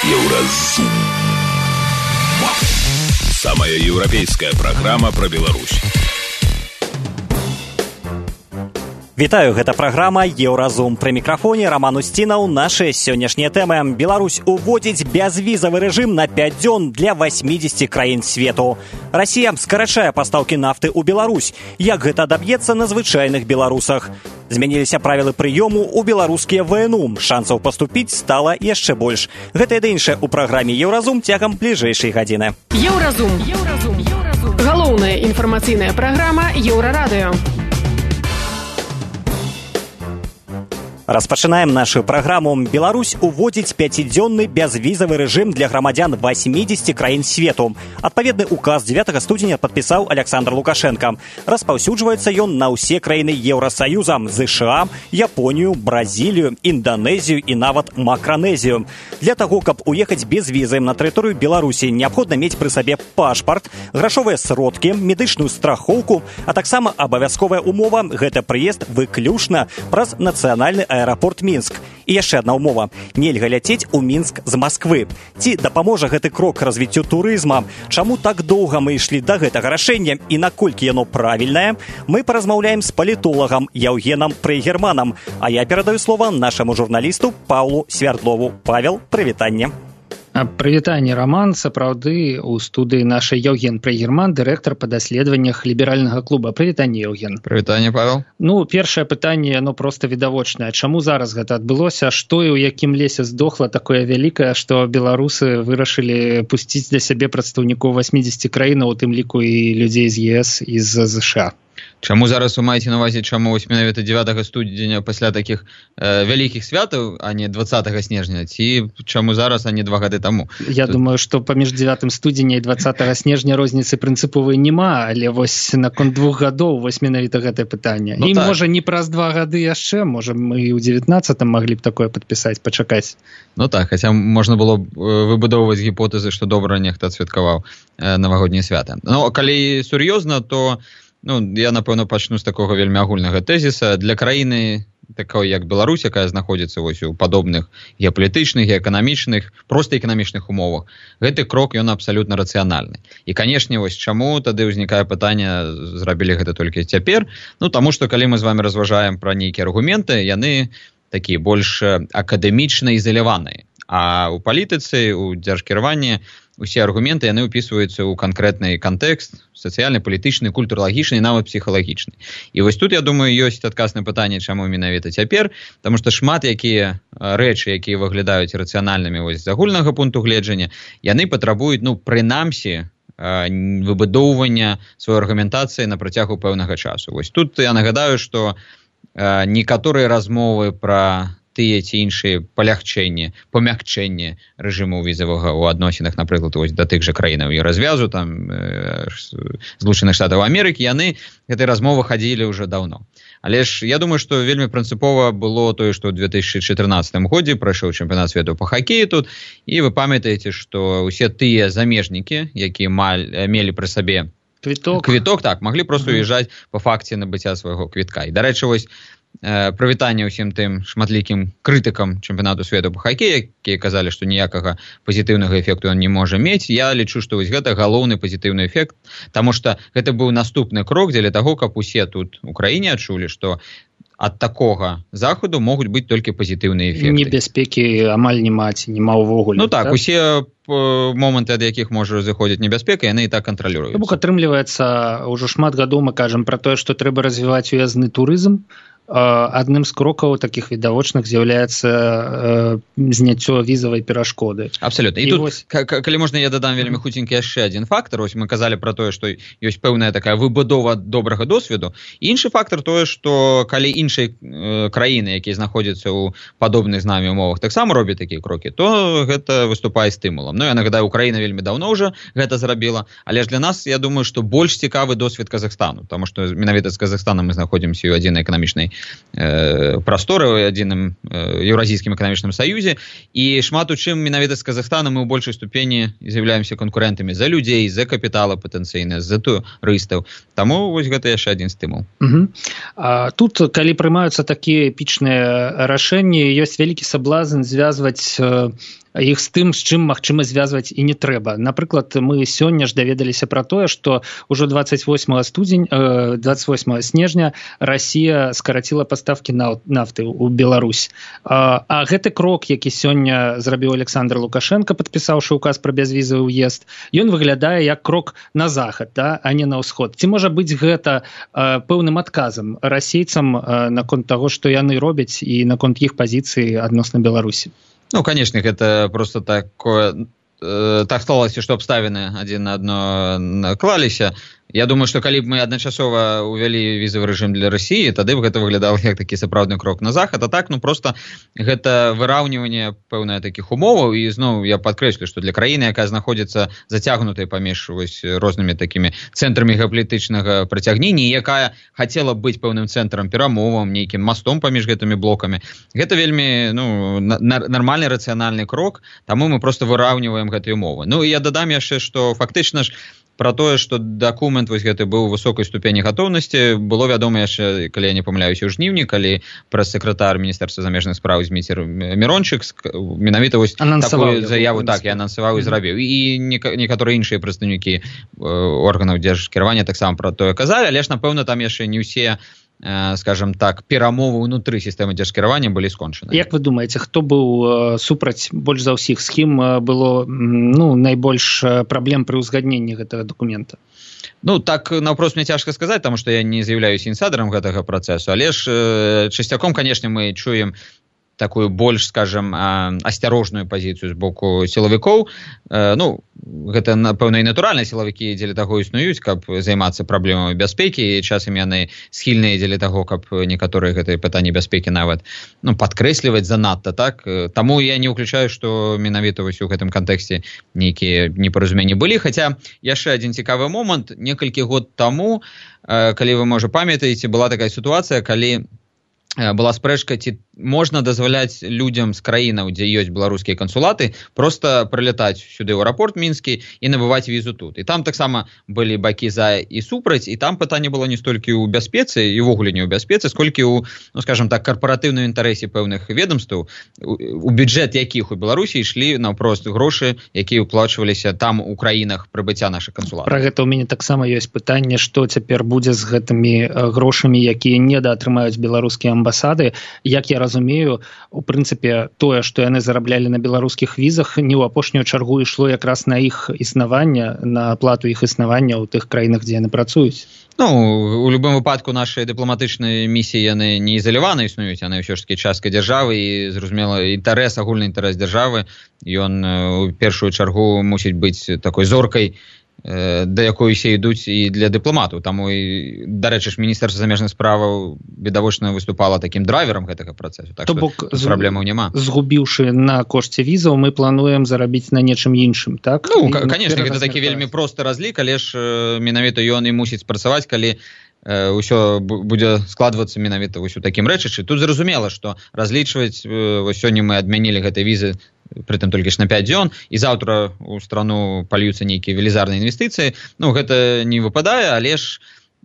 Еўразум. Самая еўрапейская праграма пра Беларусь. Вітаю, гэта праграма «Еўразум». Пры мікрафоне Роман Устінаў. Нашы сённяшнія тэмы. Беларусь уводзіць бязвізавы рэжым на 5 дзён для 80 краін свету. Расія скарачае пастаўкі нафты ў Беларусь. Як гэта адаб'ецца на звычайных беларусах? Змяніліся правілы прыёму ў беларускія ВНУ. Шансаў паступіць стала яшчэ больш. Гэта і іншае ў праграме «Еўразум» цягам бліжэйшай гадзіны. Еўразум. Галоўная інфармацыйная праграма Еўрарадыё. Распачынаем нашу праграму. Беларусь уводзіць 5-дзённы бязвізавы рэжым для грамадзян 80 краін свету. Адпаведны указ 9 студзеня падпісаў Александр Лукашенко. Распаўсюджваецца ён на ўсе краіны Еўрасаюза, ЗША, Японію, Бразілію, Інданезію і нават Макранезію. Для таго, каб уехаць без візы на тэрыторыю Беларусі, неабходна мець пры сабе пашпарт, грашовыя сродкі, медычную страхоўку, а таксама абавязковая умова – гэта прыезд выключна праз нацыянальны аэрапорт Мінск. І яшчэ адна ўмова. Нельга ляцець у Мінск з Масквы. Ці дапаможа гэты крок развіццю турызма? Чаму так доўга мы ішлі да гэтага рашэння і наколькі яно правільнае? Мы паразмаўляем з палітолагам Яўгенам Прыгерманам. А я перадаю слова нашаму журналісту Паўлу Свярдлову. Павел, прывітанне. Прывітанне, Роман. Сапраўды, у студыі нашай Яўген Прыгерман, дырэктар па даследаваннях ліберальнага клуба. Прывітанне, Яўген. Прывітанне, Павел. Першае пытанне, оно проста відавочнае. Чаму зараз гэта адбылося? Што і ў якім лесе здохла такое вялікае, што беларусы вырашылі пусціць для сябе прадстаўнікоў 80 краінаў, у тым ліку і людзей з ЕС і з ЗША? Чаму зараз вы маеце на ўвазе, чаму вось менавіта 9 студзеня пасля такіх вялікіх святаў, а не 20 снежня, ці чаму зараз, а не 2 гады таму? Я думаю, што паміж 9 студзеня і 20 снежня розніцы прынцыповай няма, але вось наконт 2 гадоў вось менавіта гэтае пытанне. І так. Можа не праз 2 гады яшчэ, можа мы ў 19-м маглі б такое падпісаць, пачакаць. Так, хаця можна было б выбудоўваць гіпотэзы, што добра нехта адсвяткаваў навагоднія свята. Калі сур'ёзна, то я, напэўна, пачну з такога вельмі агульнага тэзіса. Для краіны такой, як Беларусь, якая знаходзіцца вось у падобных геапалітычных, эканамічных, проста эканамічных умовах, гэты крок, ён абсалютна рацыянальны. І, канешне, вось чаму тады ўзнікае пытанне, зрабілі гэта толькі цяпер? Таму што, калі мы з вами разважаем пра нейкія аргументы, яны такія больш акадэмічна ізаляваныя. А ў палітыцы, у дзяржкіраванні усе аргументы, яны ўпісваюцца ў канкрэтны кантэкст, сацыяльны, палітычны, культуралагічны, нават псіхалагічны. І вось тут, я думаю, ёсць адказ на пытанне, чаму менавіта цяпер, таму што шмат якія рэчы, якія выглядаюць рацыянальнымі вось з агульнага пункту гледжання, яны патрабуюць, прынамсі, выбудоўвання сваёй аргументацыі на працягу пэўнага часу. Вось тут я нагадаю, што некаторыя размовы пра тыя ці іншыя памякчэнні рэжыму візавага ў адносінах, напрыклад, вось да тых жа краінаў і развязу, там, Злучаных Штатаў Амерыкі, яны гэтай размовы хадзілі ўжо даўно. Але ж я думаю, што вельмі прынцыпова было тое, што ў 2014 годзе прайшоў чэмпіянат свету па хакеі тут, і вы памятаеце, што ўсе тыя замежнікі, якія мелі пры сабе квіток, так, маглі проста уязджаць па факце набыцця свайго квітка. І, дарэчы, вось прывітанне ўсім тым шматлікім крытыкам чэмпіянату свету па хакеі, якія казалі, што ніякага пазітыўнага эфекту ён не можа мець. Я лічу, што вось гэта галоўны пазітыўны эфект, таму што гэта быў наступны крок дзеля таго, каб усе тут у краіне адчулі, што ад такога заходу могуць быць толькі пазітыўныя эфекты. Небяспекі амаль няма ўвогуле. Так, усе моманты, ад якіх можа зыходзіць небяспека, яны і так кантралююцца. Бок атрымліваецца, ўжо шмат гадоў мы кажам пра тое, што трэба развіваць уязны турызм. Адным з крокаў такіх відавочных з'яўляецца зняццё візавай перашкоды. Абсалютна. І тут, калі можна, я дадам вельмі хутенькі яшчэ адзін фактар. Ось мы казалі пра тое, што ёсць пэўная такая выбудова добрага досведу. Іншы фактар тое, што калі іншыя краіны, якія знаходзяцца ў падобных з намі умовах, таксама робяць такія крокі, то гэта выступае стымулам. Я нагадаю, Украіна вельмі даўно ўжо гэта зрабіла, але ж для нас, я думаю, што больш цікавы досвед Казахстану, таму што менавіта з Казахстанам мы знаходзімся ў адзінай эканамічнай прасторы ў адзіным Еўразійскім эканамічным саюзе, і шмат у чым менавіта з Казахстанам мы ў большай ступені з'яўляемся канкурэнтамі за людзей, за капітала патэнцыйна, за турыстаў. Таму вось гэта яшчэ адзін стымул. Тут, калі прымаюцца такія эпічныя рашэнні, ёсць вялікі саблазн звязваць іх з тым, з чым магчыма звязваць і не трэба. Напрыклад, мы сёння ж даведаліся пра тое, што ўжо 28 снежня Расія скараціла пастаўкі нафты ў Беларусь. А гэты крок, які сёння зрабіў Александр Лукашенко, падпісаўшы указ пра бязвізавы ўезд, ён выглядае як крок на захад, да, а не на ўсход. Ці можа быць гэта пэўным адказам расейцам наконт таго, што яны робяць і наконт іх пазіцыі адносна Беларусі? Ну, конечно, это просто такое... Так сталося, што абставіны адзін на адно наклаліся. Я думаю, што калі б мы адначасова увялі візавы рэжым для Расіі, тады б гэта выглядало як такі сапраўдны крок на захад. А так, ну, просто гэта выраўніванне пэўнае такіх умоваў. І зноў я падкрэслю, што для краіны, якая знаходзіцца зацягнутай паміж рознымі такімі цэнтрамі геапалітычнага прыцягнення, якая хацела быць пэўным цэнтрам перамовам, нейкім мастом паміж гэтымі блокамі, гэта вельмі нармальны рацыянальны крок, таму мы просто выраўніваем гэтыя умовы. Ну, і я дадам яшчэ, што фактычна ж про тое, што дакумент вось гэты быў у высокай ступені гатоўнасці, было вядома яшчэ, калі я не памыляюся, ў жніўні, калі прэс-сакратар Міністэрства замежных спраў Зміцер Мірончык менавіта вось такую заяву так я анансаваў і зрабіў. І некаторыя іншыя прадстаўнікі органаў дзяржкіравання таксама пра тое казалі, але ж, напэўна, там яшчэ не ўсе, скажем так, перамовы ўнутры сістэмы дзяржкіравання былі скончаны. Як вы думаеце, хто быў супраць больш за ўсіх, з кім было найбольш праблем пры ўзгадненні гэтага дакумента? Ну, так, наўпрост мне цяжка сказаць, таму што я не з'яўляюся інсайдерам гэтага працэсу, але ж часцяком, канешне, мы чуем такую больш, скажем, асцярожную пазіцыю з боку сілавікоў. Ну, гэта, напэўна, і натуральна, сілавікі дзеля таго існуюць, каб займацца праблемамі бяспекі, і часам яны схільныя дзеля таго, каб некаторыя гэтыя пытанні бяспекі нават падкрэсліваць занадта, так? Таму я не ўключаю, што менавіта вось у гэтым кантэксце нейкія непаразуменні былі, хаця яшчэ адзін цікавы момант, некалькі год таму, калі вы, можа, памятаеце, была такая сітуацыя, калі была спрэчка, ці можна дазваляць людзям з краінаў, дзе ёсць беларускія кансулаты, просто прылятаць сюды ў аэрапорт мінскі і набываць візу тут. І там таксама былі бакі за і супраць, і там пытанне было не столькі ў бяспецы, і ўвогуле не ў бяспецы, сколькі ў, ну, скажем так, карпаратыўным інтарэсе пэўных ведомстваў, у бюджэт якіх у Беларусі ішлі наўпрост грошы, якія ўплачваліся там у краінах прыбыцця нашых кансулатаў. Пра гэта ў мяне таксама ёсць пытанне, што цяпер будзе з гэтымі грошамі, якія недаатрымаюць беларускія амбасады. Як я разумею, у прынцыпе, тое, што яны зараблялі на беларускіх візах, не ў апошнюю чаргу ішло якраз на іх існаванне, на аплату іх існавання ў тых краінах, дзе яны працуюць. Ну, у любым выпадку нашай дыпламатычнай місіі яны не ізалявана існуюць, яны ўсё ж такі частка дзяржавы, і, зразумела, інтарэс, агульны інтарэс дзяржавы, ён у першую чаргу мусіць быць такой зоркай, да якой усе ідуць і для дыпламатаў. Таму, дарэчы ж, Міністэрства замежных справаў відавочна выступала такім драйверам гэтага працэсу. Так што праблемаў няма. Згубіўшы на кошце візаў, мы плануем зарабіць на нечым іншым, так? Ну, канешне, гэта такі вельмі просты разлік, але ж менавіта ён і мусіць працаваць, калі ўсё будзе складвацца менавіта вось у такім рэчышчы. Тут зразумела, што разлічваць, вось сёння мы адмянілі гэтай візы, притым толькі ж на 5 дзён, і заўтра у страну пальюцца нейкія велізарныя інвестыцыі. Ну, гэта не выпадае, але ж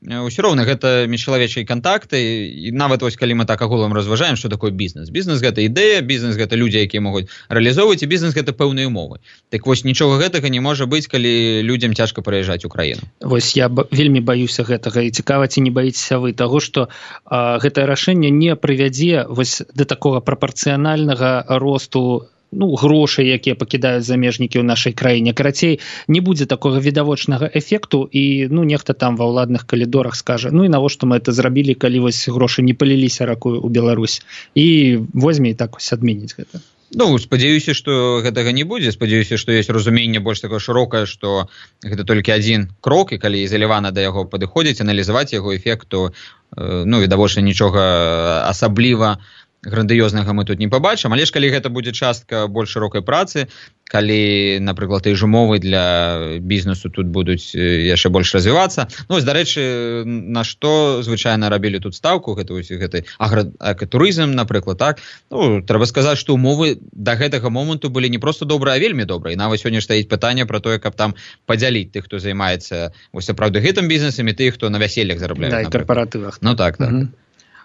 ўсё роўна гэта міжчалавечыя кантакты, і нават вось калі мы так агулам разважаем, што такое бізнес. Бізнес гэта ідэя, бізнес гэта людзі, якія могуць рэалізоўваць, і бізнес гэта пэўныя умовы. Так вось нічога гэтага не можа быць, калі людзям цяжка прыязджаць у краіну. Вось я вельмі баюся гэтага, і цікава, ці не баіцеся вы таго, што гэтае рашэнне не прывядзе вось да такога прапарцыянальнага росту грошай, якія пакідаюць замежнікі ў нашай краіне. Карацей, не будзе такога відавочнага эфекту, і нехта там ва ўладных калідорах скажа, і навошта мы это зрабілі, калі вось грошы не паліліся ракою ў Беларусь, і возьме і так вось адменіць гэта. Ну, спадзяюся, што гэтага не будзе. Спадзяюся, што ёсць разуменне больш такое шырокае, што гэта толькі адзін крок, і калі ізалявана да яго падыходзіць, аналізаваць яго эфект, то, відавочна, нічога асабліва грандыёзнага мы тут не пабачым, але ж калі гэта будзе частка больш шырокай працы, калі, напрыклад, і ж умовы для бізнесу тут будуць яшчэ больш развівацца. Ну, вось, дарэчы, на што звычайна рабілі тут стаўку, гэты агратурызм, напрыклад, так? Ну, трэба сказаць, што умовы да гэтага моманту былі не проста добрыя, а вельмі добрыя. І нават сёння стаіць пытанне пра тое, каб там падзяліць тых, хто займаецца вось сапраўды гэтым бізнесам, і тых, хто на вяселлях зарабляе. Да, і карпаратывах. Ну, так, так.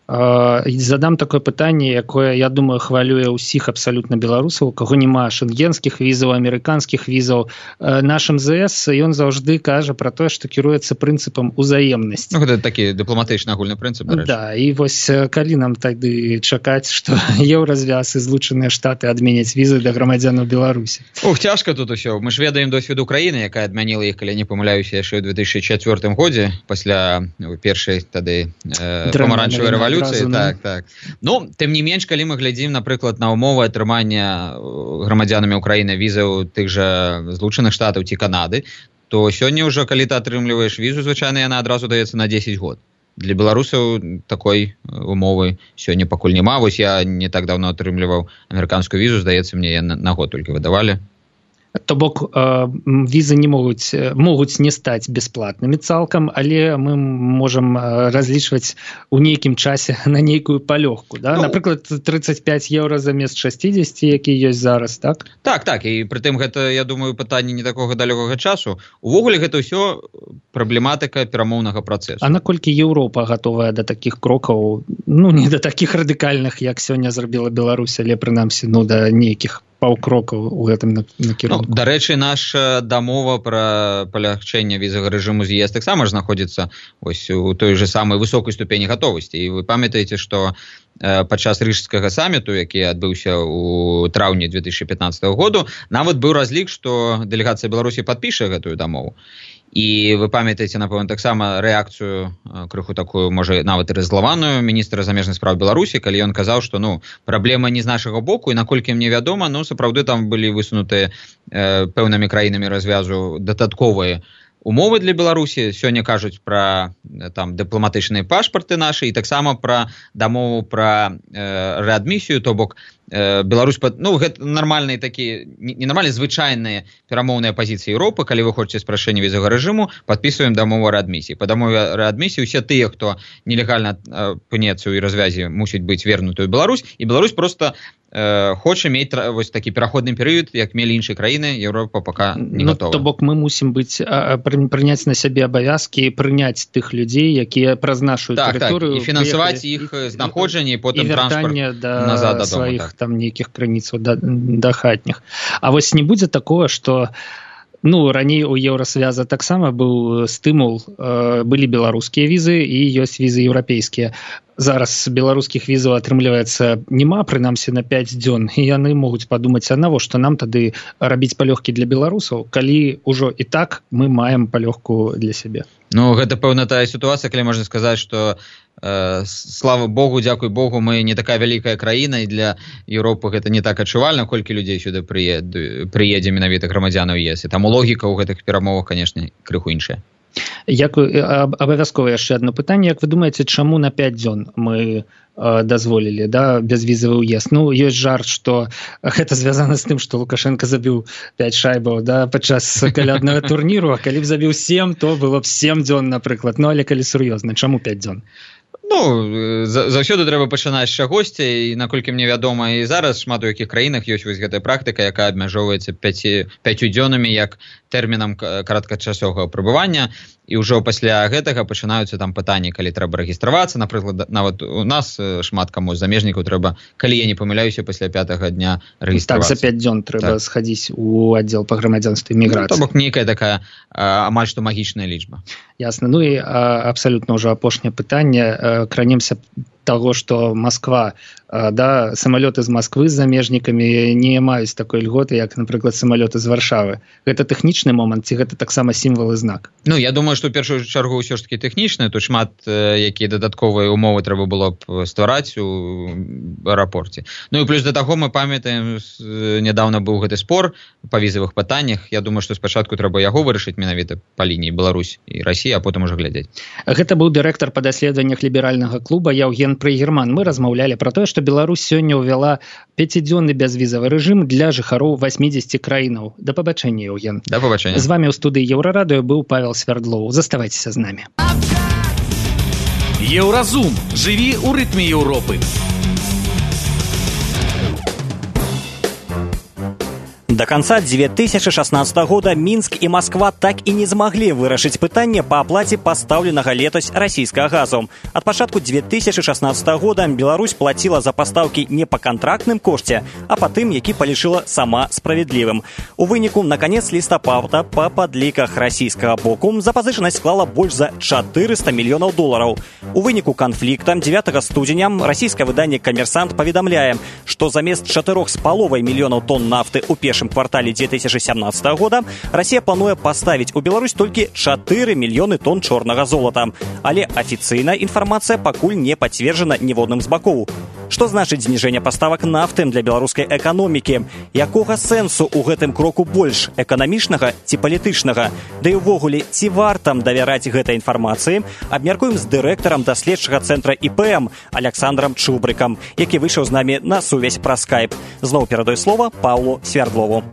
Задам такое пытанне, якое, я думаю, хвалюе ўсіх абсалютна беларусаў, у каго няма шэнгенскіх візаў, амерыканскіх візаў. Наш МЗС, ён заўжды кажа пра тое, што кіруецца прынцыпам узаемнасці. Ну, гэта такі дыпламатычны агульны прынцып, дарэчы. Да, і вось калі нам тады чакаць, што Еўразвяз і Злучаныя Штаты адменяць візы для грамадзянаў Беларусі? Цяжка тут усё. Мы ж ведаем досвед Украіны, якая адмяніла іх, калі не памыляюся, яшчэ ў 2004 годзе, пасля першай тады памаранчавай рэвалюцыі. Так. Ну, тым не менш, калі мы глядзім, напрыклад, на умовы атрымання грамадзянамі Украіны візаў тых жа Злучаных Штатаў ці Канады, то сёння ўжо, калі ты атрымліваеш візу, звычайна яна адразу даецца на 10 год. Для беларусаў такой умовы сёння пакуль няма. Вось я не так даўно атрымліваў амерыканскую візу, здаецца, мне на год толькі выдавалі. То бок візы не могуць не стаць бясплатнымі цалкам, але мы можам разлічваць у нейкім часе на нейкую палёгку, да? Напрыклад, 35 еўра замест 60, які ёсць зараз, так? Так, і прытым гэта, я думаю, пытанне не такога далёкага часу. Увогуле гэта ўсё праблематыка перамоўнага працэсу. А наколькі Еўропа гатовая да такіх крокаў, не да такіх радыкальных, як сёння зрабіла Беларусь, але прынамсі, да нейкіх паўкрокаў у гэтым накірунку. Дарэчы, наша дамова пра палягчэнне візавага рэжыму з ЕС таксама ж знаходзіцца вось у той же самай высокай ступені гатовасці. І вы памятаеце, што падчас рыжскага саміту, які адбыўся ў траўні 2015 году, нават быў разлік, што дэлегацыя Беларусі падпіша гэтую дамову. І вы памятаеце, напэўна, таксама рэакцыю крыху такую, можа, нават і раззлаваную міністра замежных спраў Беларусі, калі ён казаў, што праблема не з нашага боку, і наколькі мне вядома, сапраўды там былі высунутыя пэўнымі краінамі развязу дадатковыя умовы для Беларусі. Сёння кажуць пра дыпламатычныя пашпарты нашы і таксама пра дамову пра рэадмісію, то бок Беларусь, гэта нармальныя такія, ненармальныя, звычайныя перамоўныя пазіцыі Еўропы. Калі вы хочаце спрашчэння візавага рэжыму, падпісваем дамову рэадмісіі. Па дамове рэадмісіі ўсе тыя, хто нелегальна апынецца ў развязе, мусіць быць вернуты ў Беларусь, і Беларусь проста хоча мець вось такі пераходны перыяд, як мелі іншыя краіны. Еўропа пака не гатова. То бок мы мусім прыняць на сябе абавязкі, прыняць тых людзей, якія праз нашу тэрыторыю, і фінансаваць іх знаходжанне, і потым транспарт назад дадому. Там нейкіх крыніцаў да хатніх. А вось не будзе такого, што раней у Еўрасвяза таксама быў стымул, былі беларускія візы і ёсць візы еўрапейскія. Зараз беларускіх візаў атрымліваецца няма, прынамсі на 5 дзён, і яны могуць падумаць, а навошта нам тады рабіць палёгкі для беларусаў, калі ўжо і так мы маем палёгку для сябе. Гэта, пэўна, тая сітуацыя, калі можна сказаць, што слава Богу, дзякуй Богу, мы не такая вялікая краіна, і для Еўропы гэта не так адчувальна, колькі людзей сюды прыедзе менавіта грамадзянаў ЕС. І таму логіка ў гэтых перамовах, канешне, крыху іншая. Абавязкова яшчэ адно пытанне. Як вы думаеце, чаму на 5 дзён мы дазволілі бязвізавы ўезд? Ёсць жарт, што гэта звязана з тым, што Лукашенко забіў 5 шайбаў падчас каляднага турніру, а калі б забіў 7, то было б 7 дзён, напрыклад. Але калі сур'ёзна, чаму 5 дзён? Заўсёды трэба пачынаць з чагосьці, і наколькі мне вядома, і зараз шмат у якіх краінах ёсць вось гэтая практыка, якая абмяжоўваецца 5 дзёнамі як тэрмінам кароткачасовага пребывання, і ўжо пасля гэтага пачынаюцца там пытанні, калі трэба рэгістравацца. Напрыклад, нават у нас шмат каму з замежнікаў трэба, калі я не памыляюся, пасля 5-го дня рэгістравацца. Так, за 5 дзён трэба схадзіць у аддзел па грамадзянству і міграцыі. То бок нейкая такая амаль што магічная лічба. Ясна. І абсалютна ўжо апошняе пытанне. Кранемся таго, што Масква, самалёты з Масквы з замежнікамі не маюць такой льготы, як, напрыклад, самалёты з Варшавы. Гэта тэхнічны момант, ці гэта таксама сімвал і знак? Я думаю, што ў першую чаргу ўсё ж такі тэхнічны. Тут шмат якія дадатковыя умовы трэба было б ствараць у аэрапорце. І плюс да таго мы памятаем, нядаўна быў гэты спор па візавых пытаннях. Я думаю, што спачатку трэба яго вырашыць менавіта па лініі Беларусь і Расія, а потым ужо глядзець. Гэта быў дырэктар па даследаваннях ліберальнага клуба Яўген Прыгерман. Мы размаўлялі пра тое, што Беларусь сёння ўвяла 5-дзённы бязвізавы рэжым для жыхароў 80 краінаў. Да пабачэння, Яўген. Да пабачэння. З вамі ў студыі Еўрарадыё быў Павел Свярдлоў. Заставайцеся з намі. Еўразум. Жыві ў рытме Еўропы. До конца 2016 года Минск и Москва так и не смогли вырашить пытание по оплате поставленного летось российского газу. От початку 2016 года Беларусь платила за поставки не по контрактным коште, а по тым, які полишила сама справедливым. У выніку на конец листопада по подликах российского боку запозыченность склала больше за $400 миллионов. У выніку конфликта 9 студеня российское выдание «Коммерсант» поведомляет, что замест 4,5 миллионов тонн нафты у першым квартале 2017 года Россия плануе поставить у Беларусь только 4 миллионы тонн черного золота. Але официальная информация пакуль не подтверждена ніводным з бакоў. Что значит снижение поставок нафты для белорусской экономики? Якога сенсу у гэтым кроку больш? Экономичного ці палітычнага? Да и увогуле, ці варта давяраць гэтай информации? Абмяркуем с директором доследчага центра ИПМ Александром Чубрыком, які выйшаў з нами на сувязь праз скайп. Зноў перадаю слово Павлу Свердлову.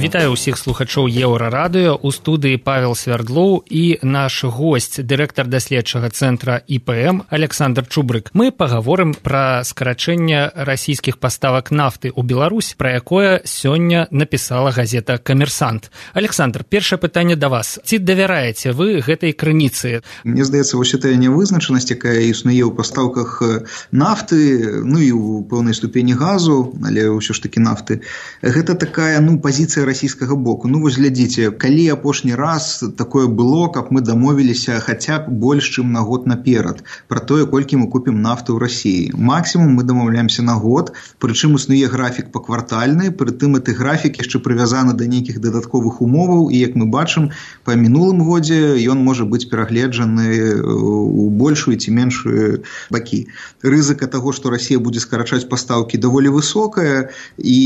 Вітаю ўсіх слухачоў Еўрарадыё. У студыі Павел Свердлоў і наш госць, дырэктар даследчага цэнтра ІПМ Александр Чубрык. Мы пагаворым пра скарачэнне расійскіх паставак нафты ў Беларусь, пра якое сёння напісала газета «Коммерсант». Александр, першае пытанне да вас. Ці давяраеце вы гэтай крыніцы? Мне здаецца, вось гэтая нявызначанасць, якая існуе ў пастаўках нафты, ну і ў пэўнай ступені газу, але ўсё ж такі нафты, гэта такая, пазіцыя расійскага боку. Вось глядзіце, калі апошні раз такое было, каб мы дамовіліся хаця б больш, чым на год наперад пра тое, колькі мы купім нафты ў Расіі. Максімум мы дамаўляемся на год, прычым існуе графік паквартальны, прытым гэты графік яшчэ прывязаны да нейкіх дадатковых умоваў, і як мы бачым, па мінулым годзе ён можа быць перагледжаны ў большую ці меншую бакі. Рызыка таго, што Расія будзе скарачаць пастаўкі, даволі высокая, і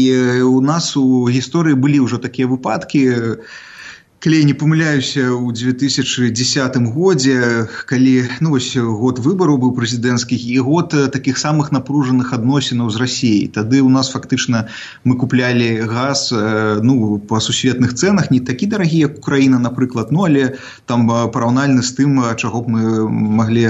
у нас у гісторыі былі ўжо такія выпадкі, калі я не памыляюся, у 2010 годзе, калі вось год выбараў быў прэзідэнцкі і год такіх самых напружаных адносінаў з Расіяй. Тады у нас фактычна мы куплялі газ па сусветных цэнах, не такі дарагі, як Украіна, напрыклад, але там параўнальна з тым, чаго б мы маглі,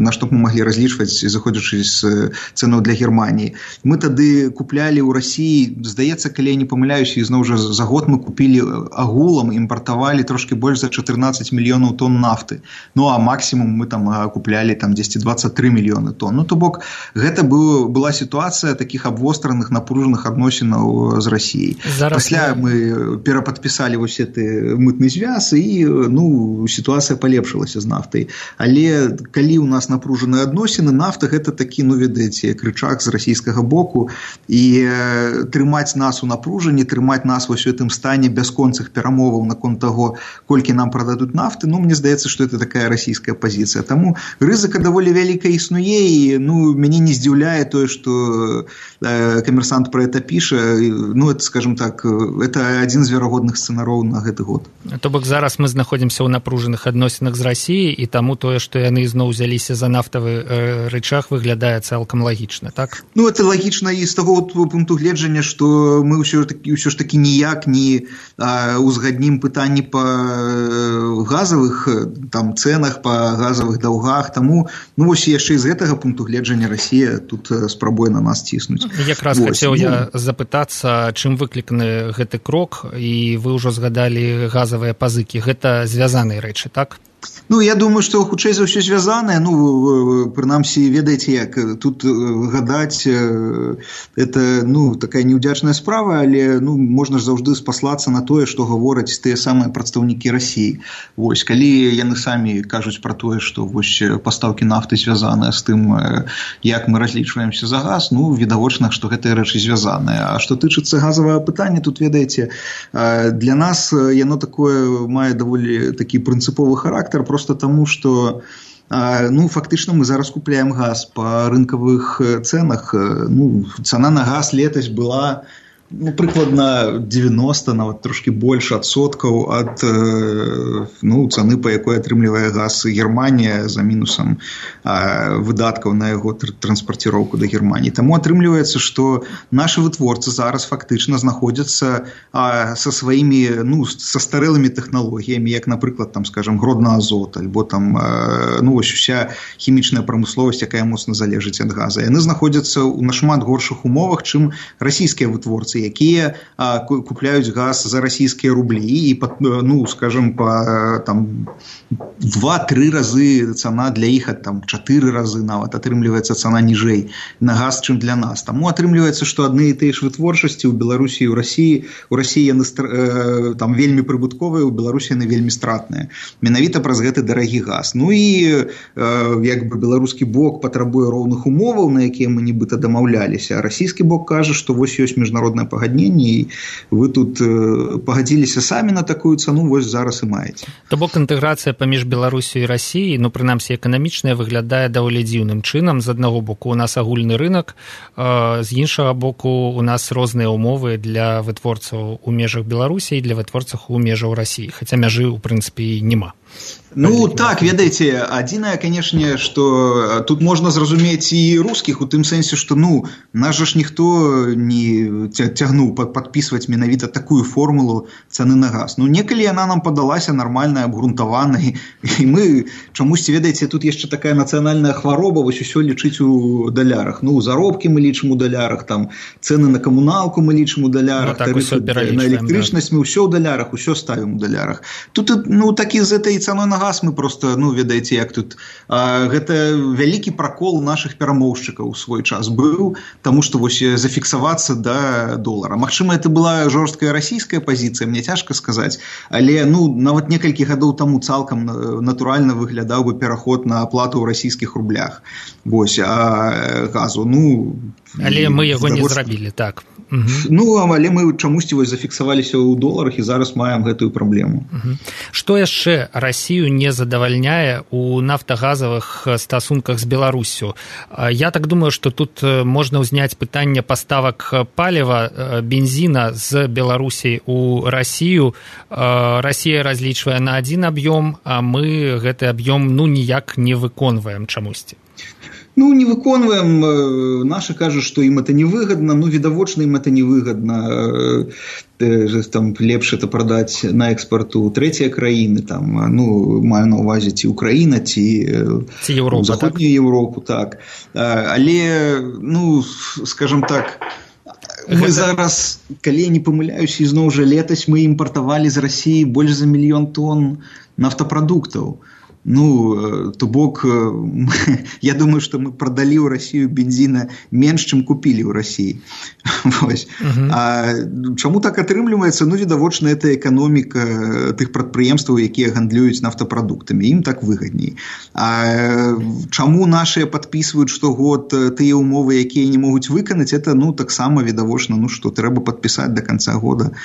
на што б мы маглі разлічваць, заходзячы з цэнаў для Германіі. Мы тады куплялі ў Расіі, здаецца, калі я не памыляюся, і зноў жа за год мы купілі агулам імпартавалі трошки больш за 14 мільёнаў тонн нафты. А максімум мы там куплялі 10-23 мільёны тонн. То бок, гэта была сітуацыя такіх абвостраных, напружаных адносінаў з Расіяй. Пасля мы перападпісалі вось гэты мытны звяз, і сітуацыя палепшылася з нафтай. Але калі ў нас напружаныя адносіны, нафта гэта такі, ведаеце, крычак з расійскага боку, і трымаць нас у напружанні, трымаць нас вось у гэтым стане бясконцых перамоваў наконт таго, колькі нам прададуць нафты, мне здаецца, што это такая расійская пазіцыя. Таму рызыка даволі вялікая існуе, і мяне не здзіўляе тое, што Коммерсант пра гэта піша. Это, скажем так, это адзін з верагодных сцэнароў на гэты год. То бок зараз мы знаходзімся ў напружаных адносінах з Расіяй, і таму тое, што яны зноў узяліся за нафтавы рычаг, выглядае цалкам лагічна, так? Это лагічна і з таго пункту гледжання, што мы ўсё ж такі ніяк не узгаднім пытанні па газавых цэнах, па газавых даўгах. Таму вось яшчэ з гэтага пункту гледжання Расія тут спрабуе на нас ціснуць. Якраз хацеў я запытацца, чым выкліканы гэты крок, і вы ўжо згадалі газавыя пазыкі. Гэта звязаныя рэчы, так? Я думаю, што хутчэй за ўсё звязанае. Прынамсі, ведаеце як, тут гадаць, это, такая неўдзячная справа, але, можна ж заўжды спаслацца на тое, што гавораць тыя самыя прадстаўнікі Расіі. Вось, калі яны самі кажуць пра тое, што вось пастаўкі нафты звязаныя з тым, як мы разлічваемся за газ, відавочна, што гэтыя рэчы звязаныя. А што тычыцца газавага пытання, тут, ведаеце, для нас яно такое мае даволі такі прынцыповы характар, просто таму, што фактычна мы зараз купляем газ па рынкавых цэнах. Цана на газ летась была прыкладна 90, нават трошки больш адсоткаў ад цаны, па якой атрымлівае газ Германія за мінусам выдаткаў на яго транспарціроўку да Германії. Таму атрымліваецца, што нашы вытворцы зараз фактычна знаходзяцца са сваімі, са старэлымі тэхналогіямі, як, напрыклад, скажем, Гродна-Азот, альбо вось уся хімічная прамысловасць, якая моцна залежыць ад газа. Яны знаходзяцца ў нашмат горшых умовах, чым расійскія вытворцы, беларусы, якія купляюць газ за расійскія рублі і, ну, скажем, па там 2-3 разы цана для іх, там 4 разы нават атрымліваецца цана ніжэй на газ, чым для нас. Таму атрымліваецца, што адны і тыя ж вытворчасці ў Беларусі і ў Расіі яны там вельмі прыбытковыя, у Беларусі яны вельмі стратныя. Менавіта праз гэты дарагі газ. Ну і як бы беларускі бок патрабуе роўных умоваў, на якія мы нібыта дамаўляліся, а расійскі бок кажа, што вось ёсць міжнароднае пагадненне і вы тут пагадзіліся самі на такую цану, вось зараз і маеце. То бок інтэграцыя паміж Беларусю і Расіяй, ну прынамсі эканамічная, выглядае даволі дзіўным чынам. З аднаго боку у нас агульны рынок, з іншага боку у нас розныя умовы для вытворцаў у межах Беларусі і для вытворцаў у межах Расіі, хаця мяжы ў прынцыпе няма. Ну так, ведаеце, адзінае, канешне, што тут можна зразумець і рускіх у тым сэнсе, што ну нас жа ж ніхто не цягнуў падпісваць менавіта такую формулу цаны на газ. Ну некалі яна нам падалася нармальнай, абгрунтаванай, і мы чамусьці, ведаеце, тут яшчэ такая нацыянальная хвароба, вось усё лічыць у далярах. Ну заробкі мы лічым у далярах, там цэны на камуналку мы лічым у далярах, так, на электрычнасць мы ўсё ў далярах, усё ставім у далярах. Тут ну такі з этой цаной на газ мы просто, ну, ведаеце, як тут гэта вялікі пракол нашых перамоўшчыкаў у свой час быў, таму што вось зафіксавацца да долара. Магчыма, это была жорсткая расійская пазіцыя, мне цяжка сказаць, але ну нават некалькі гадоў таму цалкам натуральна выглядаў бы пераход на аплату ў расійскіх рублях. Вось, а газу, ну... Але мы яго не зрабілі, так. Ну, але мы чамусьці вось зафіксаваліся ў доларах і зараз маем гэтую праблему. Што яшчэ Расію не задавальняе у нафтагазавых стасунках з Беларуссю? Я так думаю, што тут можна ўзняць пытанне паставак паліва, бензіна з Беларусі у Расію. Расія разлічвае на адзін аб'ём, а мы гэты аб'ём ну ніяк не выконваем чамусьці. Ну, не выконваем, наши кажут, что им это невыгодно, ну, видовочно им это невыгодно, там, лепш это продать на экспорт у третьей краины, там, ну, маю на увазе ці Украина, ці Европа, Заходнюю Европу, так. Але, ну, скажем так, мы зараз, калі я не памыляюсь, ізноў жа летась мы імпартавалі з Расіі больш за 1 мільён тонн нафтапрадуктаў. Ну, то бок, я думаю, что мы продали ў Расію бензина менш, чым купілі ў Расіі. А чаму так атрымліваецца? Ну, відавочна, это эканоміка тых прадпрыемстваў, якія гандлююць нафтапрадуктамі. Ім так выгадней. А чаму нашыя падпісваюць штогод тыя умовы, якія не могуць выканаць, это, ну, таксама відавочна, ну, што трэба падпісаць до конца года.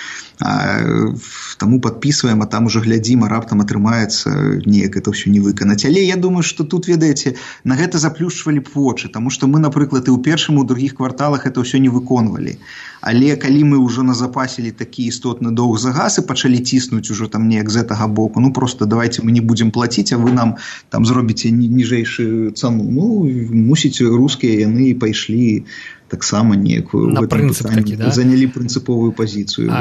Таму падпісваем, а там уже глядзім, а раптам атрымаецца неяк это ўсё не выканаць. Але я думаю, што тут, ведаеце, на гэта заплюшчвалі б вочы, таму што мы, напрыклад, і ў першым, і ў другіх кварталах это ўсё не выконвалі. Але калі мы ўжо назапасілі такі істотны доўг за газ і пачалі ціснуць ужо там неяк з гэтага боку, ну просто давайте мы не будзем плаціць, а вы нам там зробіце ніжэйшую цану. Ну, мусіць, рускія яны пайшлі таксама некую на прынцып такі, да? Занялі прынцыповую пазіцыю.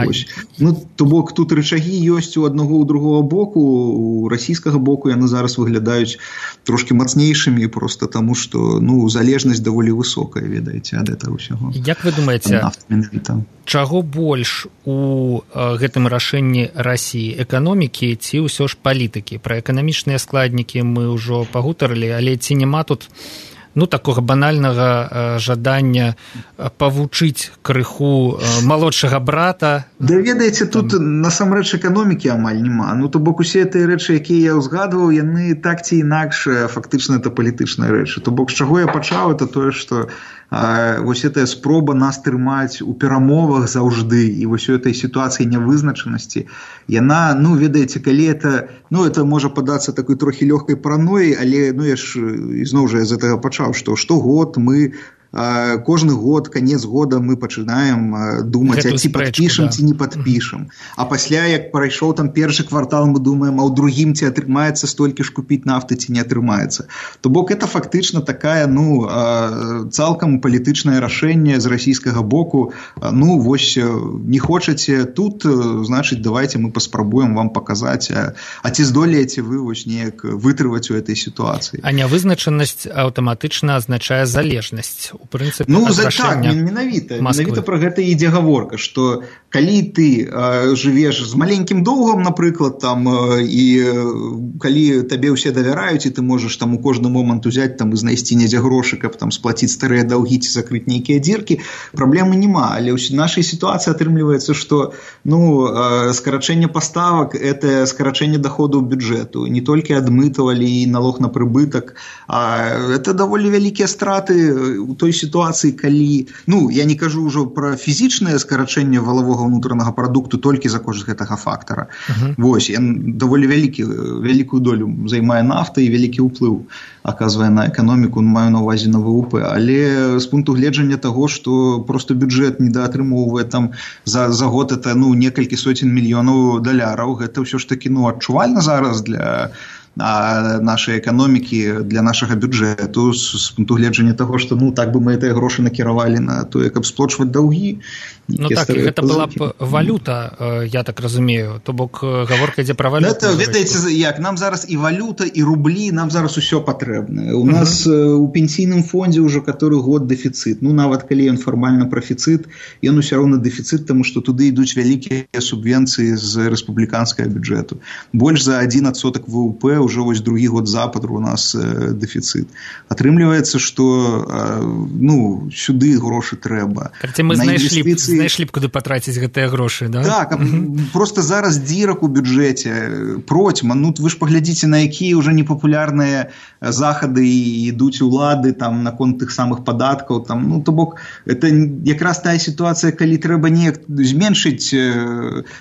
Ну, то бок тут рычагі ёсць у аднаго, у другого боку, у расійскага боку яны зараз выглядаюць трошки мацнейшымі просто таму, што ну, залежнасць даволі высокая, ведаеце, ад этого ўсяго. Як вы думаеце, чаго больш у гэтым рашэнні Расіі, эканомікі ці ўсё ж палітыкі? Пра эканамічныя складнікі мы ўжо пагутарылі, але ці няма тут ну, такога банальнага жадання павучыць крыху малодшага брата? Да ведаеце, тут насамрэч эканомікі амаль няма. Ну, то бок усе тыя рэчы, якія я ўзгадваў, яны так ці інакш фактычна это палітычныя рэчы. То бок, з чаго я пачаў, это тое, што вось гэтая спроба нас трымаць у перамовах заўжды і вось у этой сітуацыі нявызначанасці, яна, ну, ведаеце, калі это, ну, это можа падацца такой трохі лёгкай паранояй, але, ну, я ж ізноў жа з гэтага пачаў, што штогод мы кожны год, конец года мы пачынаем думаць, а ці падпішам, ці не падпішам. А пасля, як прайшоў там першы квартал, мы думаем, а ў другім ці атрымаецца столькі ж купіць нафты, ці не атрымаецца. То бок это фактычна такая, ну, цалкам палітычнае рашэнне з расійскага боку. Ну, вось, не хочаце тут, значыць, давайте мы паспрабуем вам паказаць, а ці здолееце вы вось неяк вытрываць у этой сітуацыі. А нявызначанасць аўтаматычна азначае залежнасць у прынцыпе так, менавіта пра гэта ідзе гаворка, што калі ты жывеш з маленькім доўгам, напрыклад, там, і калі табе ўсе давяраюць, і ты можаш там у кожны момант узяць там і знайсці недзе грошы, каб там сплаціць старыя даўгі ці закрыць нейкія дзіркі, праблемы няма. Але ў нашай сітуацыі атрымліваецца, што скарачэнне паставак – это скарачэнне даходаў бюджэту, не толькі адмытаў, але і налог на прыбытак. Это даволі вялікія страты у той сітуацыі, калі, я не кажу ўжо пра фізічнае скарачэнне валавога ўнутранага прадукту толькі за кошт гэтага фактара. Вось, даволі вялікую долю займае нафта і вялікі ўплыў аказвае на эканоміку, маю на ўвазе на ВВП. Але з пункту гледжання таго, што просто бюджэт недаатрымоўвае там за год это некалькі соцень мільёнаў даляраў, гэта ўсё ж такі адчувальна зараз для нашай эканомікі, для нашага бюджэту з пункту гледжання таго, што так бы мы гэтыя грошы накіравалі на тое, каб сплочваць даўгі. Так, гэта была б валюта, я так разумею, то бок гаворка ідзе пра валюту. Ведаеце, як нам зараз і валюта, і рублі, нам зараз усё патрэбна. У нас у пенсійным фондзе ўжо каторы год дэфіцыт. Нават калі ён фармальна прафіцыт, ён усё роўна дэфіцыт, таму што туды ідуць вялікія субвенцыі з рэспубліканскага бюджэту. Больш за 1% ВВП уже вось другі год запад у нас дэфіцыт. Атрымліваецца, што сюды грошы трэба. Мы знайшлі б куды патраціць гэтыя грошы, да? Так, просто зараз дзірак у бюджэце процьма. Вы ж паглядзіце, на якія ўжо непапулярныя захады ідуць улады там наконт тых самых падаткаў. То бок, это якраз тая сітуацыя, калі трэба неяк зменшыць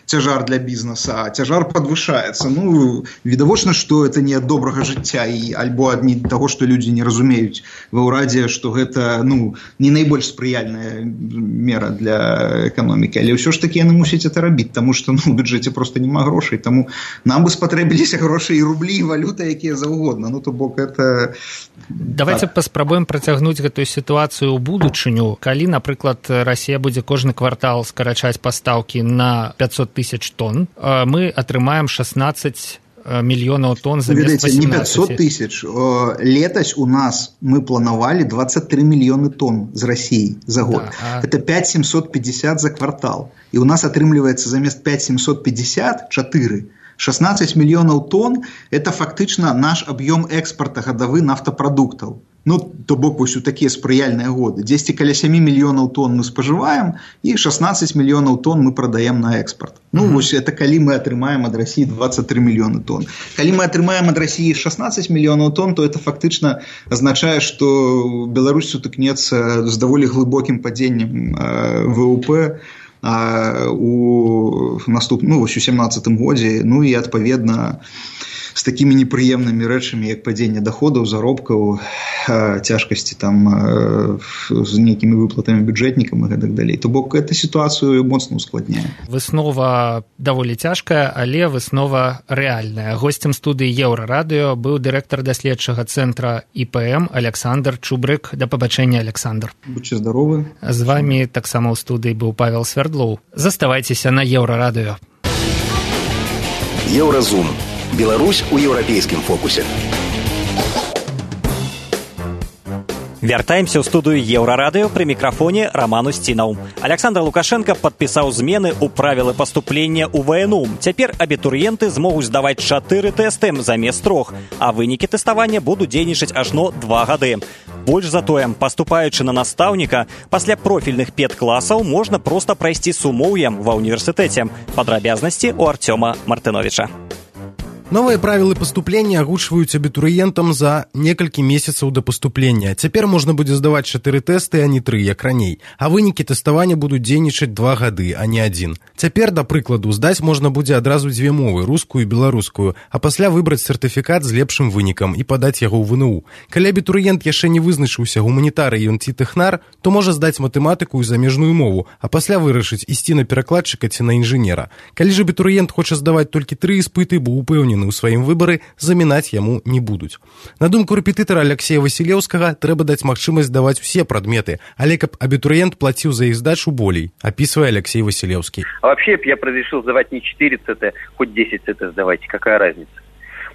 цяжар для бізнеса, а цяжар падвышаецца. Відавочна, што это не ад добрага жыцця і альбо ад таго, што людзі не разумеюць ва ўрадзе, што гэта не найбольш спрыяльная мера для эканомікі, але ўсё ж такі яны мусяць это рабіць, таму што у бюджэце просто няма грошай, таму нам бы спатрэбіліся грошы і рублі, і валюта, якія заўгодна. То бок это... Давайте паспрабуем працягнуць гэтую сітуацыю ў будучыню. Калі, напрыклад, Расія будзе кожны квартал скарачаць пастаўкі на 500 000 тонн, мы атрымаем 16 мільёнаў тонн замест 18. Не 500 000. Летась у нас мы планавалі 23 мільёны тонн з Расіі за год. Это 5750 за квартал. І у нас атрымліваецца замест 5750 4. 16 мільёнаў тонн – это фактычна наш аб'ём экспарта гадавы нафтапрадуктаў. То бок вось у такія спрыяльныя годы. 10 каля 7 мільёнаў тонн мы спажываем, і 16 мільёнаў тонн мы прадаем на экспарт. Вось это калі мы атрымаем ад Расіі 23 мільёны тонн. Калі мы атрымаем ад Расіі 16 мільёнаў тонн, то это фактычна азначае, што Беларусь сутыкнецца з даволі глыбокім падзеннем ВВП у наступным, вось у 17-м годзе, і адпаведна з такімі непрыемнымі рэчамі, як падзенне даходаў, заробкаў, цяжкасці там з нейкімі выплатамі бюджэтнікам і гэтак далей. То бок эту сітуацыю моцна ускладняе. Выснова даволі цяжкая, але выснова рэальная. Госцем студыі Еўрарадыё быў дырэктар даследчага цэнтра ІПМ Александр Чубрык. Да пабачэння, Александр. Будьце здаровы. З вамі таксама ў студыі быў Павел Свердлоў. Заставайцеся на Еўрарадыё. Еўразум. Беларусь у еўрапейскім фокусе. Вяртаемся ў студыю Еўрарадыё, пры мікрафоне Роман Устінаў. Александр Лукашенко падпісаў змены ў правілы паступлення ў ВНУ. Цяпер абітурыенты змогуць здаваць 4 тэсты замест 3, а вынікі тэставання будуць дзейнічаць ажно 2 гады. Больш за тое, паступаючы на настаўніка, пасля профільных педкласаў можна проста прайсці сумоўем ва ўніверсітэце. Падрабязнасці ў Артёма Мартыновича. Новыя правілы паступлення агучваюць абітурыентам за некалькі месяцаў да паступлення. Цяпер можна будзе здаваць 4 тэсты, а не 3, як раней. А вынікі тэставання будуць дзейнічаць 2 гады, а не 1. Цяпер, да прыкладу, здаць можна будзе адразу 2 мовы, рускую і беларускую, а пасля выбраць сертыфікат з лепшым вынікам і падаць яго ў ВНУ. Калі абітурыент яшчэ не вызначыўся, гуманітарый ён ці тэхнар, то можа здаць матэматыку і замежную мову, а пасля вырашыць, ісці на перакладчыка ці на інжынера. Калі ж абітурыент хоча здаваць толькі 3 іспыты, бо упэўнены у сваім выбары, замінаць яму не будуць. На думку рэпетытара Алексея Васілеўскага, трэба даць магчымасць здаваць усе прадметы, але каб абітурыент плаціў за іх здачу болей, описывая Алексей Василевский. А вообще я разрешил сдавать не 4 ЦТ, хоть 10 ЦТ сдавайте, какая разница?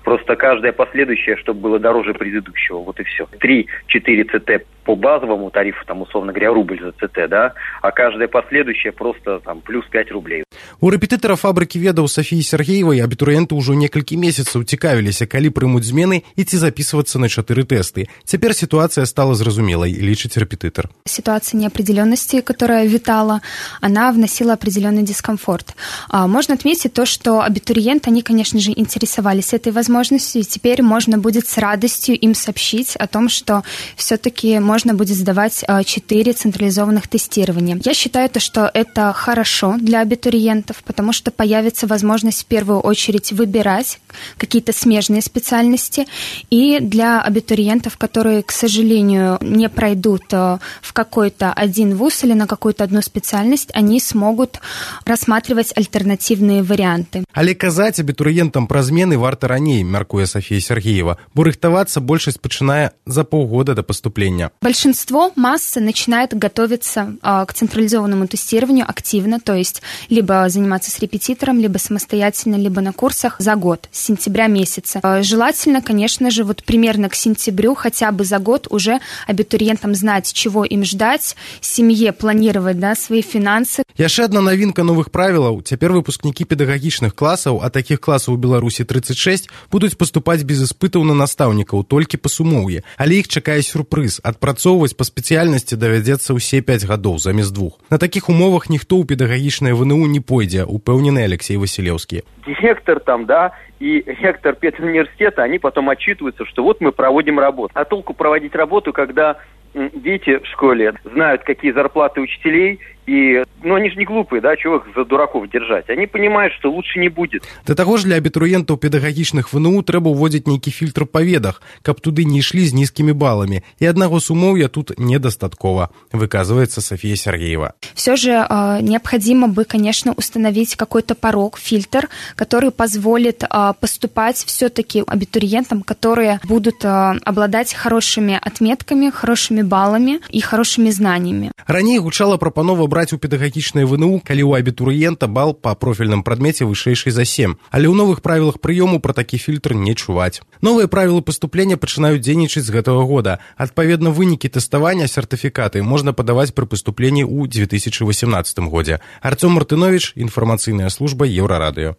Просто каждое последующее, чтобы было дороже предыдущего, вот и все. 3-4 ЦТ по базовому тарифу, там, условно говоря, рубль за ЦТ, да, а каждая последующая просто там плюс 5 рублей. У рэпетытара фабрыкі ведаў Сафіі Сергеевай абітурыенты ўжо некалькі месяцаў цікавіліся, калі прымуць змены і ці записываться на 4 тесты. Теперь ситуация стала зразумелой, лічыць рэпетытар. Ситуация неопределенности, которая витала, она вносила определенный дискомфорт. Можно отметить то, что абитуриенты, они, конечно же, интересовались этой возможностью, и теперь можно будет с радостью им сообщить о том, что все-таки можно будет сдавать 4 централизованных тестирования. Я считаю, что это хорошо для абитуриентов, потому что появится возможность в первую очередь выбирать какие-то смежные специальности, и для абитуриентов, которые, к сожалению, не пройдут в какой-то один вуз или на какую-то одну специальность, они смогут рассматривать альтернативные варианты. Але казаць абітурыентам пра змены варта раней, мяркуе Сафія Сергеева, бо рыхтавацца большасць пачынае за полгода до поступления. Большинство массы начинает готовиться к централизованному тестированию активно, то есть либо заниматься с репетитором, либо самостоятельно, либо на курсах за год, с сентября месяца. Желательно, конечно же, вот примерно к сентябрю, хотя бы за год уже абитуриентам знать, чего им ждать, семье планировать, да, свои финансы. Яшчэ одна навінка новых правілаў. Цяпер выпускнікі педагагічных класаў, а такіх класаў у Беларусі 36, будуць паступаць без іспытаў на настаўнікаў, толькі па сумоўі. Але іх чакае сюрпрыз. Адпрацоўваць па спецыяльнасці давядзецца ўсе 5 гадоў замест 2. На такіх умовах ніхто ў педагагічнае ВНУ не пойдзе, упэўнены Алексей Василевский. Директор там, да, и ректор педуниверситета, они потом отчитываются, что вот мы проводим работу. А толку проводить работу, когда дети в школе знают, какие зарплаты учителей, и, они же не глупые, да, чего их за дураков держать. Они понимают, что лучше не будет. Да таго ж для абітурыентаў педагагічных ВНУ трэба ўводзіць нейкі фільтр па ведах, каб туды не ішлі з нізкімі баламі. І аднаго сумоўя тут недастаткова, выказывается София Сергеева. Все же необходимо бы, конечно, установить какой-то порог, фильтр, который позволит поступать все-таки абитуриентам, которые будут обладать хорошими отметками, хорошими баллами и хорошими знаниями. Раней гучала прапанова браць у педагагічнае ВНУ, калі ў абітурыента бал па профільным прадмеце вышэйшы за 7. Але ў новых правілах прыёму пра такі фільтр не чуваць. Новыя правілы паступлення пачынаюць дзейнічаць з гэтага года. Адпаведна, вынікі тэставання, сертыфікаты можна падаваць пры паступленні ў 2018 годзе. Артём Мартынович, інфармацыйная служба Еўрарадыё.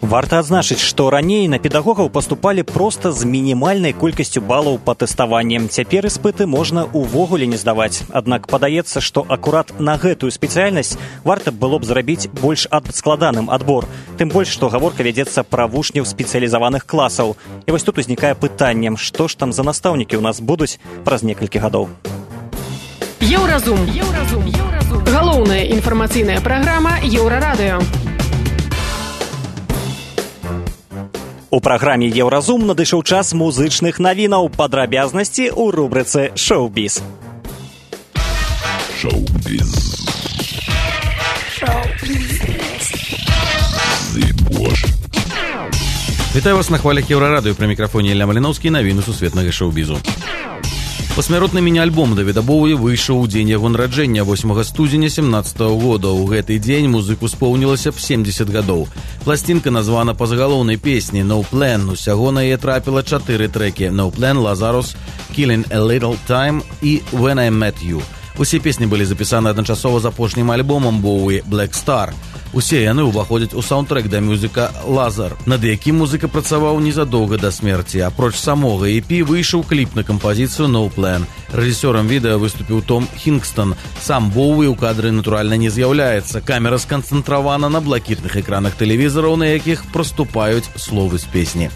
Варта адзначыць, што раней на педагогаў паступалі проста з мінімальнай колькасцю балаў па тэставанні. Цяпер іспыты можна ўвогуле не здаваць. Аднак падаецца, што акурат на гэтую спецыяльнасць варта было б зрабіць больш складаным адбор. Тым больш, што гаворка вядзецца пра вучняў спецыялізаваных класаў. І вось тут узнікае пытанне, што ж там за настаўнікі ў нас будуць праз некалькі гадоў. Еўразум. Галоўная інфармацыйная праграма Еўрарадыё. У праграме «Еўразум» надышоў час музычных навінаў, падрабязнасці ў рубрыцы «Шоу-біз». Вітаю вас на хвалях Еўрарадыё, пры мікрафоне Ілля Маліноўскі, навіны сусветнага шоу-бізу. Пасмяротны міні-альбом Давіда Боуі выйшаў у дзень яго нараджэння 8 студзеня 17 года. У гэты дзень музыку споўнілася б 70 гадоў. Пласцінка названа па загалоўнай песні «No Plan». Усяго на яе трапіла 4 трэкі «No Plan», «Lazarus», «Killing a Little Time» і «When I Met You». Усе песні былі запісаны адначасова з апошнім альбомам Боуі «Black Star». Усе яны ўваходзяць у саундтрэк да мюзіка «Лазар», над якім музыка працаваў незадоўга да смерці. Апроч самога EP выйшаў кліп на кампазіцыю «No Plan». Рэжысёрам відэа выступіў Том Хінгстон. Сам Боуі ў кадры, натуральна, не з'яўляецца. Камера сканцэнтравана на блакітных экранах тэлевізараў, на якіх проступаюць словы з песні.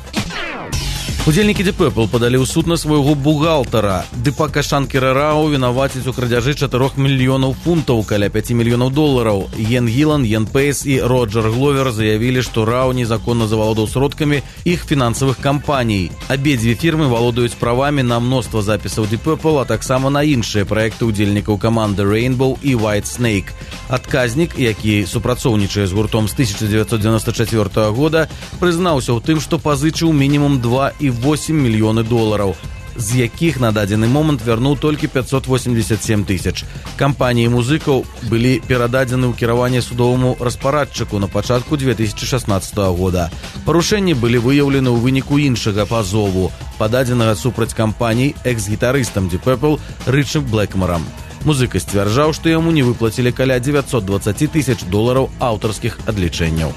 Удзельнікі Deep Purple падалі ў суд на свайго бухгалтара. Дыпака Шанкера Рау вінавацяць у крадзяжы 4 мільёнаў фунтаў, каля 5 мільёнаў долараў. Йен Гілан, Йен Пейс і Роджер Гловер заявілі, што Рау незаконна завалодаў сродкамі іх фінансавых кампаній. Абедзве фірмы валодаюць правамі на мноства запісаў Deep Purple, а таксама на іншыя праекты ўдзельнікаў каманды Rainbow і White Snake. Адказнік, які супрацоўнічае з гуртом з 1994 года, прызнаўся ў тым, што пазычыў мінімум 2,8 мільёны долараў. з якіх на дадзены момант вярнуў толькі 587 тысяч. Кампаніі музыкаў былі перададзены ў кіраванне судоваму распарадчыку на пачатку 2016 года. Парушэнні былі выяўлены ў выніку іншага пазову, пададзенага супраць кампаній экс-гітарыстам Deep Purple Рычам Блэкмарам. Музыка сцвярджаў, што яму не выплацілі каля $920 тысяч аўтарскіх адлічэнняў.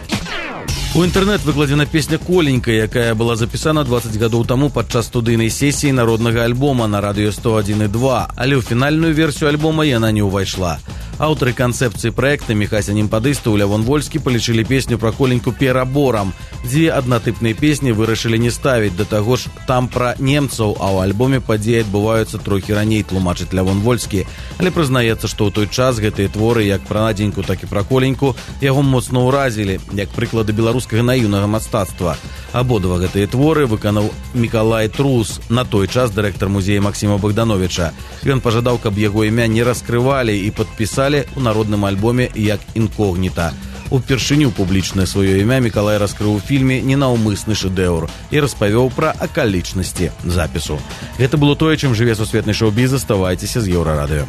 У інтэрнэт выкладзена песня «Коленька», якая была запісана 20 гадоў таму падчас студыйнай сесіі народнага альбома на радыё 101,2, але ў фінальную версію альбома яна не ўвайшла. Аўтары канцэпцыі праекта Міхася Немпадыстаў і Лявон Вольскі палічылі песню пра Коленьку пераборам. Дзве аднатыпныя песні вырашылі не ставіць, да таго ж там пра немцаў, а ў альбоме падзеі адбываюцца трохі раней, тлумачыць Лявон Вольскі. Але прызнаецца, што ў той час гэтыя творы, як пра Надзеньку, так і пра Коленьку, яго моцна ўразілі, як прыклады беларускага наіўнага мастацтва. Абодва гэтыя творы выканаў Мікалай Трус, на той час дырэктар музея Максіма Богдановича. Ён пажадаў, каб яго імя не раскрывалі і падпісалі у народным альбоме як інкогніта. Упершыню публічнае сваё імя Мікалай раскрыў у фільме «Ненаўмысны шэдэўр» і распавёў пра акалічнасці запісу. Гэта было тое, чым жыве сусветны шоу-біз. Заставайцеся з Еўрарадыё.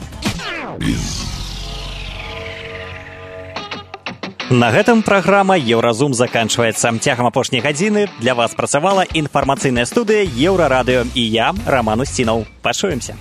На гэтым праграма «Еўразум» заканчваецца. Цягам апошняй гадзіны для вас працавала інфармацыйная студыя «Еўрарадыё» і я, Раман Усцінаў. Пачуемся.